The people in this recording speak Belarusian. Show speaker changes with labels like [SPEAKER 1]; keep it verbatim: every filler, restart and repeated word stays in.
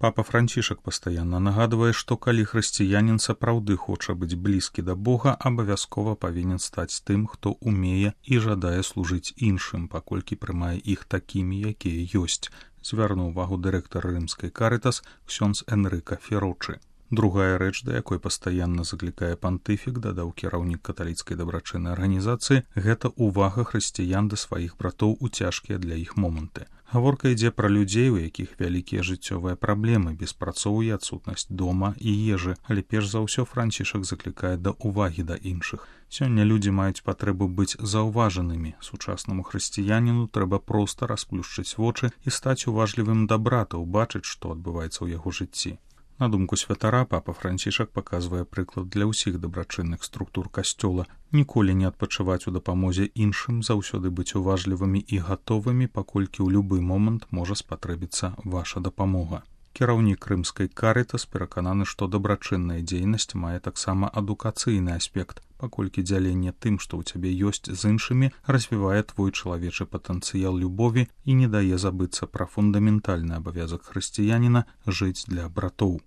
[SPEAKER 1] Папа Францішак пастаянна нагадвае, што калі хрысціянін сапраўды хоча быць блізкі да Бога, абавязкова павінен стаць тым, хто умее і жадае служыць іншым, паколькі прымае іх такімі, якія ёсць, звярнуў увагу дырэктар рымскай Карытас ксёндз Энрыка Ферочы. Другая рэч, да якой пастаянна заклікае пантыфік, дадаў кіраўнік каталіцкай дабрачыннай арганізацыі, гэта ўвага хрысціян да сваіх братоў у цяжкія для іх моманты. Гаворка ідзе пра людзей, у якіх вялікія жыццёвыя праблемы, беспрацоўе, адсутнасць дома і ежы, але перш за ўсё Францішак заклікае да ўвагі да іншых. Сёння людзі маюць патрэбу быць заўважанымі. Сучаснаму хрысціяніну трэба проста расплюшчыць вочы і стаць уважлівым да брата, убачыць, што адбываецца ў яго жыцці. На думку святара, папа Францішак паказвае прыклад для ўсіх дабрачынных структур касцёла. Ніколі не адпачываць у дапамозе іншым, заўсёды быць уважлівымі і гатовымі, паколькі ў любы момант можа спатрэбіцца ваша дапамога. Кіраўнік рымскай Карытас перакананы, што дабрачынная дзейнасць мае таксама адукацыйны аспект, паколькі дзяленне тым, што ў цябе ёсць з іншымі, развівае твой чалавечы патэнцыял любові і не дае забыцца пра фундаментальны абавязак хрысціяніна жыць для братоў.